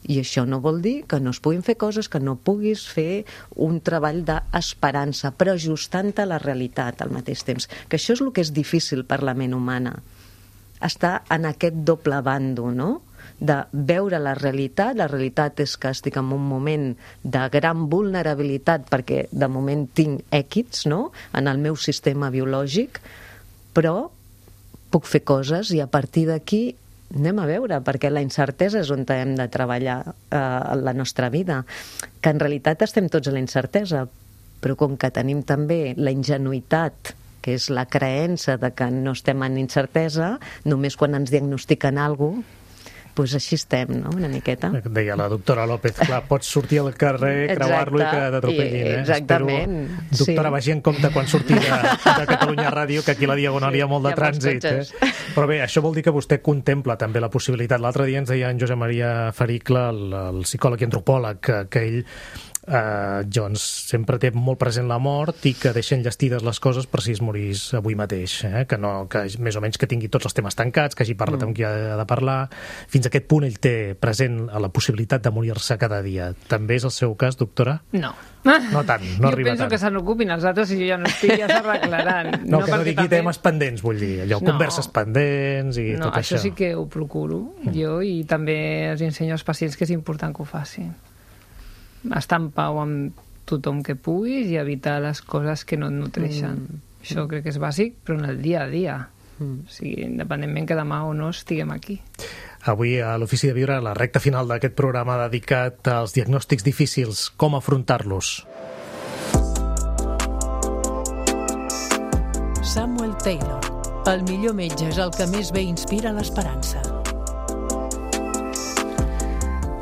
i això no vol dir que no es puguin fer coses, que no puguis fer un treball d'esperança, però ajustant-te a la realitat al mateix temps. Que això és el que és difícil per la ment humana. Estar en aquest doble bàndol, no? De veure la realitat és que estic en un moment de gran vulnerabilitat perquè de moment tinc èquits, no?, en el meu sistema biològic, però puc fer coses i a partir d'aquí anem a veure, perquè la incertesa és on hem de treballar la nostra vida, que en realitat estem tots a la incertesa, però com que tenim també la ingenuïtat, que és la creença de que no estem en incertesa, només quan ens diagnostiquen alguna cosa, doncs així estem, no?, una miqueta. Deia la doctora López, clar, pots sortir al carrer, creuar-lo i que t'atropellin, Exactament. Espero, doctora, vagi en compte quan surti de Catalunya Ràdio, que aquí a la Diagonal hi ha molt de trànsit. Però bé, això vol dir que vostè contempla també la possibilitat. L'altre dia ens deia en Josep Maria Faricle, el psicòleg i antropòleg, que ell doncs sempre té molt present la mort i que deixa enllestides les coses per si es morís avui mateix, que més o menys que tingui tots els temes tancats, que hagi parlat amb qui ha de parlar. Fins a aquest punt ell té present la possibilitat de morir-se cada dia. També és el seu cas, doctora? No. No tant, no arriba tant. Jo penso que se n'ocupin els altres i jo ja no estic, ja s'arreglaran. No, que no digui temes pendents, vull dir, allò, converses pendents i tot això. No, això sí que ho procuro jo, i també els ensenyo als pacients que és important que ho facin. Estar en pau amb tothom que puguis i evitar les coses que no et nutreixen. Això crec que és bàsic, però en el dia a dia. O sigui, independentment que demà o no estiguem aquí. Avui a l'Ofici de Viure, la recta final d'aquest programa dedicat als diagnòstics difícils, com afrontar-los. Samuel Taylor. El millor metge és el que més bé inspira l'esperança.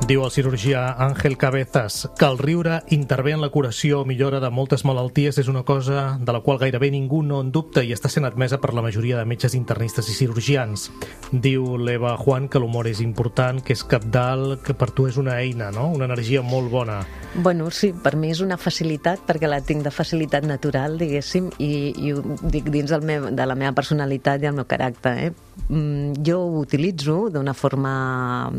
Diu el cirurgià Àngel Cabezas que el riure intervé en la curació o millora de moltes malalties, és una cosa de la qual gairebé ningú no en dubta i està sent admesa per la majoria de metges internistes i cirurgians. Diu l'Eva Juan que l'humor és important, que és cabdal, que per tu és una eina, no? Una energia molt bona. Bueno, sí, per mi és una facilitat, perquè la tinc de facilitat natural, diguéssim, i ho dic dins de la meva personalitat i el meu caràcter, jo ho utilitzo d'una forma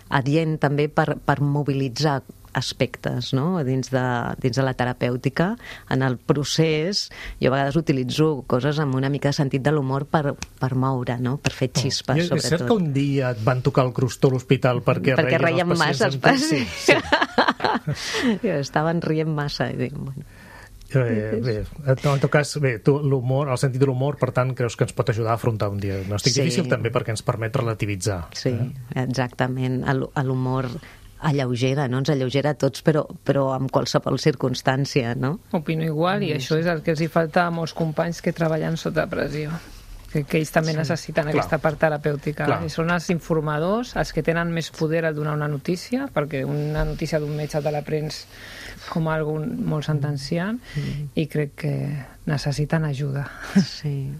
adient també per mobilitzar aspectes, no? dins de la terapèutica. En el procés, jo a vegades utilitzo coses amb una mica de sentit de l'humor per moure, no? Per fer xispes, sobretot. És cert que un dia et van tocar el crostó a l'hospital perquè reien els pacients amb tu? Sí. Estaven rient massa i dic, bueno... Bé, en tot cas, l'humor, el sentit de l'humor, per tant, creus que ens pot ajudar a afrontar un diagnòstic difícil també perquè ens permet relativitzar. Sí, exactament. L'humor alleugera, no? Ens alleugera a tots, però amb qualsevol circumstància, no? Opino igual, i això és el que els hi falta a molts companys que treballen sota pressió. Que ells també necessiten aquesta part terapèutica. I són els informadors, els que tenen més poder al donar una notícia, perquè una notícia d'un metge te la prens com algo molt sentenciant, i crec que necessiten ajuda. Sí.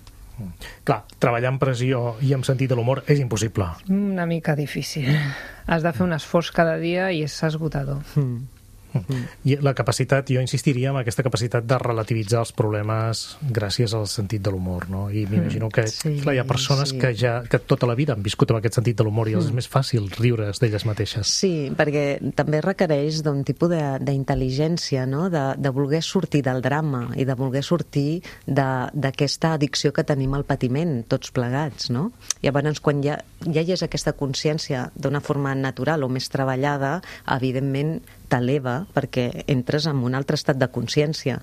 Clar, treballar amb pressió i amb sentit de l'humor és impossible. Una mica difícil. Has de fer un esforç cada dia i és esgotador. I la capacitat, jo insistiria en aquesta capacitat de relativitzar els problemes gràcies al sentit de l'humor, no? I m'imagino que clar, hi ha persones que tota la vida han viscut amb aquest sentit de l'humor i els és més fàcil riure's d'elles mateixes. Sí, perquè també requereix d'un tipus d'intel·ligència, no? De voler sortir del drama i de voler sortir d'aquesta addicció que tenim al patiment, tots plegats, no? Llavors, quan ja hi és aquesta consciència d'una forma natural o més treballada, evidentment t'eleva perquè entres en un altre estat de consciència.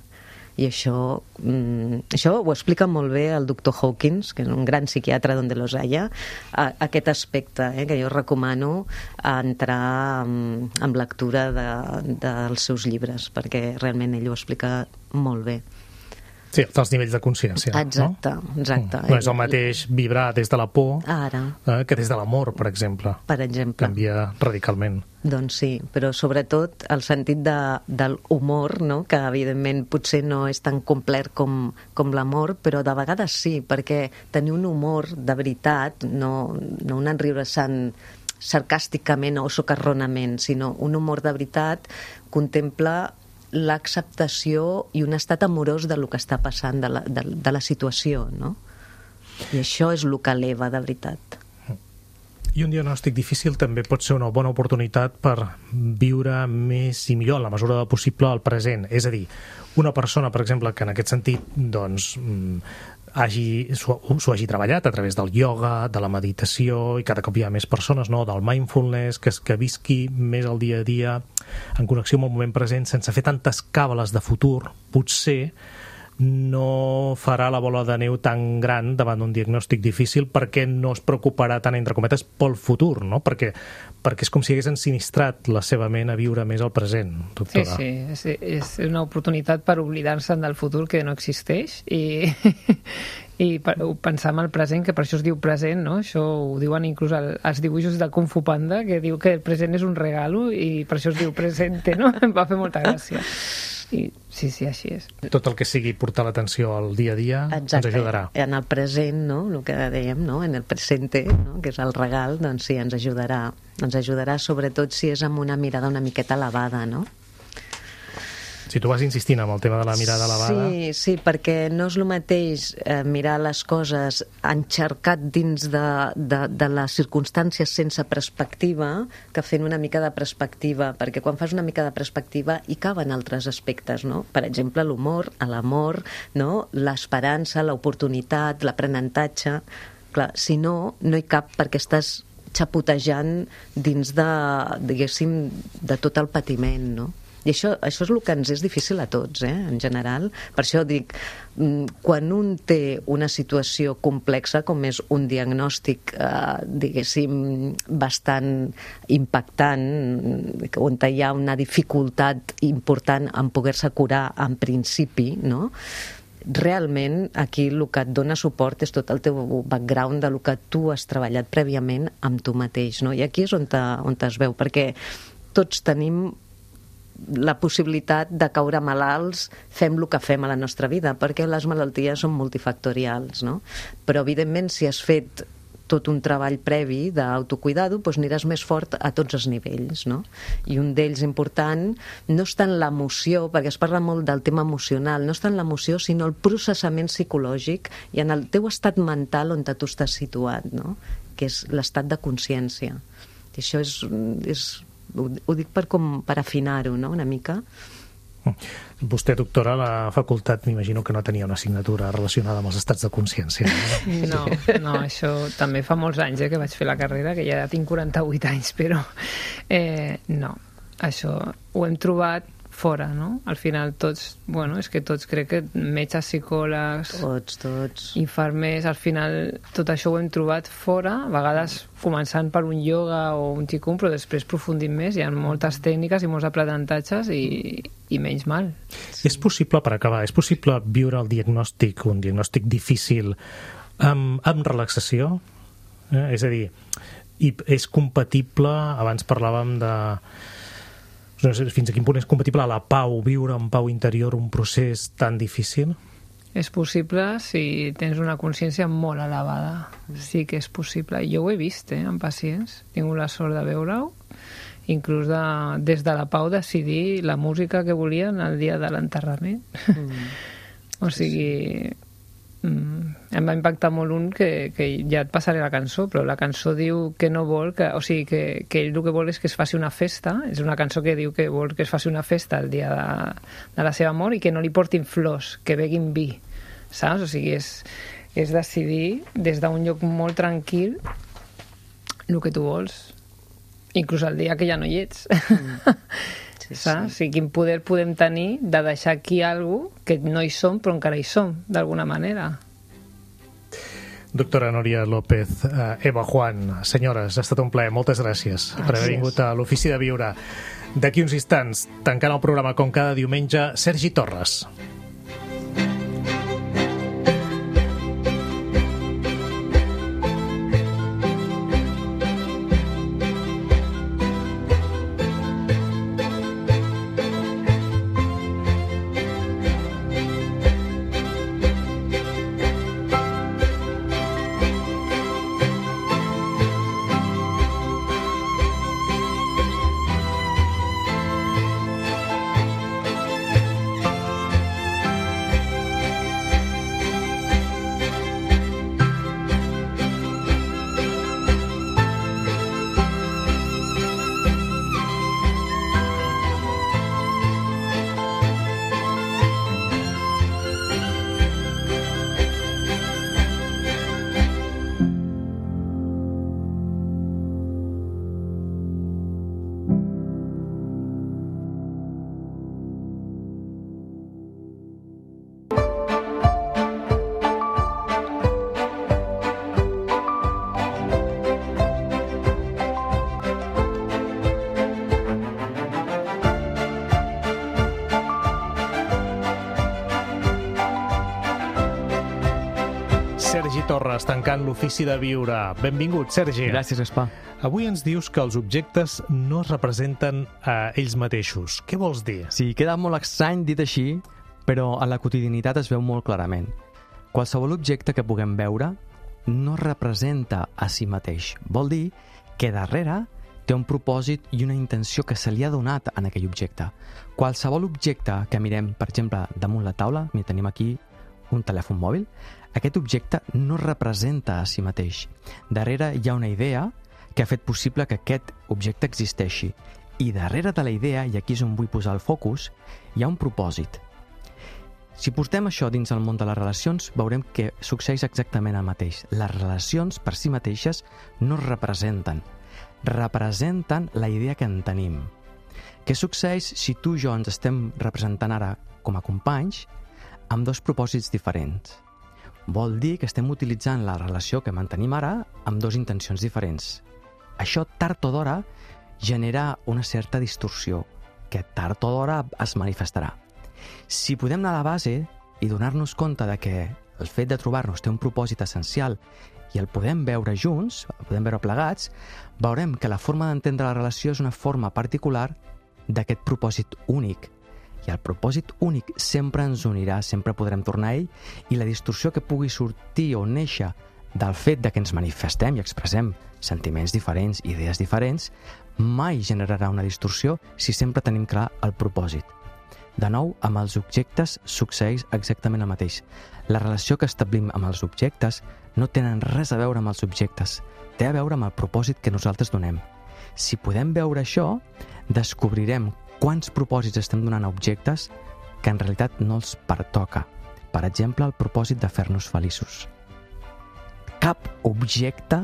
I això ho explica molt bé el doctor Hawkins, que és un gran psiquiatre d'Onde los haya, aquest aspecte, que jo recomano entrar en lectura dels seus llibres, perquè realment ell ho explica molt bé. Sí, dels nivells de consciència. Exacte, no? Exacte. No és el mateix vibrar des de la por que des de l'amor, per exemple. Per exemple. Canvia radicalment. Doncs sí, però sobretot el sentit de l'humor, no? Que evidentment potser no és tan complet com l'amor, però de vegades sí, perquè tenir un humor de veritat, no un enriure-se'n sarcàsticament o socarronament, sinó un humor de veritat contempla l'acceptació i un estat amorós del que està passant, de la situació, no? I això és el que eleva de veritat. I un diagnòstic difícil també pot ser una bona oportunitat per viure més i millor, en la mesura del possible, el present. És a dir, una persona, per exemple, que en aquest sentit doncs, s'ho hagi treballat a través del ioga, de la meditació, i cada cop hi ha més persones, no? Del mindfulness, que visqui més el dia a dia en connexió amb el moment present, sense fer tantes càbales de futur, potser no farà la bola de neu tan gran davant d'un diagnòstic difícil perquè no es preocuparà tant, entre cometes, pel futur, no? Perquè és com si hagués ensinistrat la seva ment a viure més el present, doctora. Sí, és una oportunitat per oblidar-se'n del futur que no existeix i pensar en el present, que per això es diu present, no? Això ho diuen inclús als dibuixos de Kung Fu Panda, que diu que el present és un regalo i per això es diu presente, no? Em va fer molta gràcia. I sí, així és. Tot el que sigui portar l'atenció al dia a dia ens ajudarà. En el present, no? El que dèiem, no? En el presente, no? Que és el regal, doncs sí, ens ajudarà. Ens ajudarà sobretot si és amb una mirada una miqueta elevada, no? Si tu vas insistint amb el tema de la mirada elevada... Sí, perquè no és el mateix mirar les coses enxarcat dins de les circumstàncies sense perspectiva que fent una mica de perspectiva, perquè quan fas una mica de perspectiva hi caben altres aspectes, no? Per exemple, l'humor, l'amor, no? L'esperança, l'oportunitat, l'aprenentatge... Clar, si no hi cap perquè estàs xapotejant dins de, diguéssim, de tot el patiment, no? I això és el que ens és difícil a tots, en general. Per això dic, quan un té una situació complexa, com és un diagnòstic, diguéssim, bastant impactant, on hi ha una dificultat important en poder-se curar en principi, no? Realment aquí el que et dona suport és tot el teu background del que tu has treballat prèviament amb tu mateix, no? I aquí és on es veu, perquè tots tenim la possibilitat de caure malalts, fem el que fem a la nostra vida, perquè les malalties són multifactorials, no? Però evidentment si has fet tot un treball previ d'autocuidado, doncs aniràs més fort a tots els nivells, no? I un d'ells important no és tant l'emoció, perquè es parla molt del tema emocional, no és tant l'emoció, sinó el processament psicològic i en el teu estat mental on tu estàs situat, no? Que és l'estat de consciència. I això ho dic per afinar-ho, no?, una mica. Vostè, doctora, a la facultat m'imagino que no tenia una assignatura relacionada amb els estats de consciència. No, això també fa molts anys que vaig fer la carrera, que ja tinc 48 anys, però no, això ho hem trobat fora, no? Al final tots, és que tots crec que metges, psicòlegs, tots, infermers, al final tot això ho hem trobat fora, a vegades començant per un ioga o un qigong, però després profundint més, hi ha moltes tècniques i molts aprenentatges i menys mal. Sí. És possible, per acabar, és possible viure el diagnòstic, un diagnòstic difícil, amb relaxació? És a dir, és compatible, abans parlàvem de... No sé fins a quin punt és compatible a la pau, viure en pau interior un procés tan difícil? És possible si tens una consciència molt elevada. Sí que és possible. Jo ho he vist, en pacients. He tingut la sort de veure-ho. Inclús des de la pau decidir la música que volien el dia de l'enterrament. O sigui... em va impactar molt un que ja et passaré la cançó, però la cançó diu que no vol, que ell el que vol és que es faci una festa, és una cançó que diu que vol que es faci una festa el dia de la seva mort i que no li portin flors, que beguin vi, saps? O sigui, és decidir des d'un lloc molt tranquil el que tu vols, inclús el dia que ja no hi ets. Saps? O sigui, quin poder podem tenir de deixar aquí alguna cosa que no hi som però encara hi som, d'alguna manera. Doctora Núria López, Eva Juan, senyores, ha estat un plaer, moltes gràcies per haver vingut a l'Ofici de Viure. D'aquí uns instants, tancant el programa com cada diumenge, Sergi Torres. Sergi Torres, tancant l'Ofici de Viure. Benvingut, Sergi. Gràcies, Gaspar. Avui ens dius que els objectes no es representen a ells mateixos. Què vols dir? Sí, queda molt estrany dit així, però a la quotidianitat es veu molt clarament. Qualsevol objecte que puguem veure no representa a si mateix. Vol dir que darrere té un propòsit i una intenció que se li ha donat en aquell objecte. Qualsevol objecte que mirem, per exemple, damunt la taula, mira, tenim aquí un telèfon mòbil, aquest objecte no representa a si mateix. Darrere hi ha una idea que ha fet possible que aquest objecte existeixi. I darrere de la idea, i aquí és on vull posar el focus, hi ha un propòsit. Si portem això dins el món de les relacions, veurem que succeeix exactament el mateix. Les relacions per si mateixes no es representen. Representen la idea que en tenim. Què succeeix si tu i jo ens estem representant ara com a companys amb dos propòsits diferents? Vol dir que estem utilitzant la relació que mantenim ara amb dues intencions diferents. Això, tard o d'hora, genera una certa distorsió, que tard o d'hora es manifestarà. Si podem anar a la base i donar-nos compte de que el fet de trobar-nos té un propòsit essencial i el podem veure junts, el podem veure plegats, veurem que la forma d'entendre la relació és una forma particular d'aquest propòsit únic. I el propòsit únic sempre ens unirà, sempre podrem tornar a ell, i la distorsió que pugui sortir o néixer del fet de que ens manifestem i expressem sentiments diferents, idees diferents, mai generarà una distorsió si sempre tenim clar el propòsit. De nou, amb els objectes succeeix exactament el mateix. La relació que establim amb els objectes no tenen res a veure amb els subjectes, té a veure amb el propòsit que nosaltres donem. Si podem veure això, descobrirem quants propòsits estem donant a objectes que en realitat no els pertoca. Per exemple, el propòsit de fer-nos feliços. Cap objecte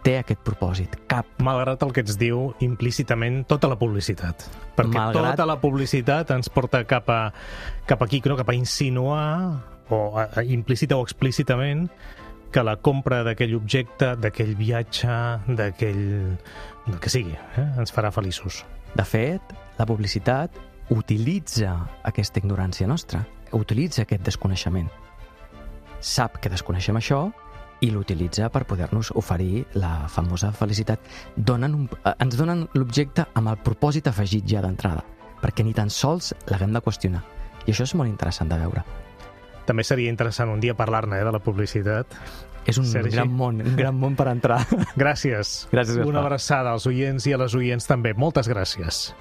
té aquest propòsit, cap. Malgrat el que ens diu implícitament tota la publicitat. Perquè tota la publicitat ens porta cap aquí, cap a insinuar, o implícita o explícitament, que la compra d'aquell objecte, d'aquell viatge, del que sigui, ens farà feliços. De fet, la publicitat utilitza aquesta ignorància nostra, utilitza aquest desconeixement. Sap que desconeixem això i l'utilitza per poder-nos oferir la famosa felicitat. Ens donen l'objecte amb el propòsit afegit ja d'entrada, perquè ni tan sols l'haguem de qüestionar. I això és molt interessant de veure. També seria interessant un dia parlar-ne, de la publicitat. És un gran món per entrar. Gràcies. Gràcies, Gaspar. Una abraçada als oients i a les oients també. Moltes gràcies.